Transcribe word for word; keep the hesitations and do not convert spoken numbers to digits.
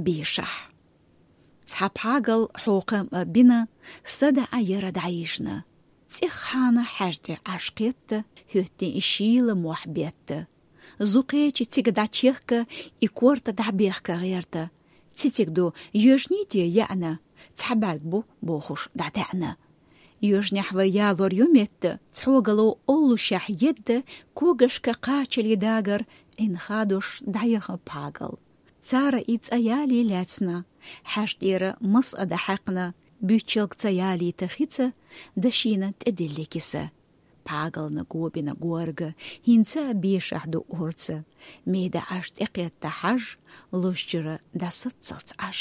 бешахь. Цхьа пхьагал хьокхам а бина, садаӀа яра дӀайижна. ЦӀиххьана хьаьж тӀе Ӏаш кхетта, хӀоьттина и шийла мохь бетта. Зукхечи цига дӀачехка, и корта дӀабехка гӀерта. Цициг ду, йоьжний те яьӀна, цхьа бӀарг бу бохуш дӀатаьӀна. Йоьжнехь вай ялор ю метта, цхьогало оллушехь едда, когашка кхачале дагар Ӏин хадош дӀаяха пхьагал. Цара и цӀа ялий лаьцна, хьаьж тӀера мас а дӀахьаькхна, буьйчалг ца ялийта хица, дашийна тӀедиллина киса. Пхьагална гобина горга, хӀинца а бешахь ду орца, меда Ӏаш тӀекхетта хьаьж, лозчуьра дӀасаццалц Ӏаш.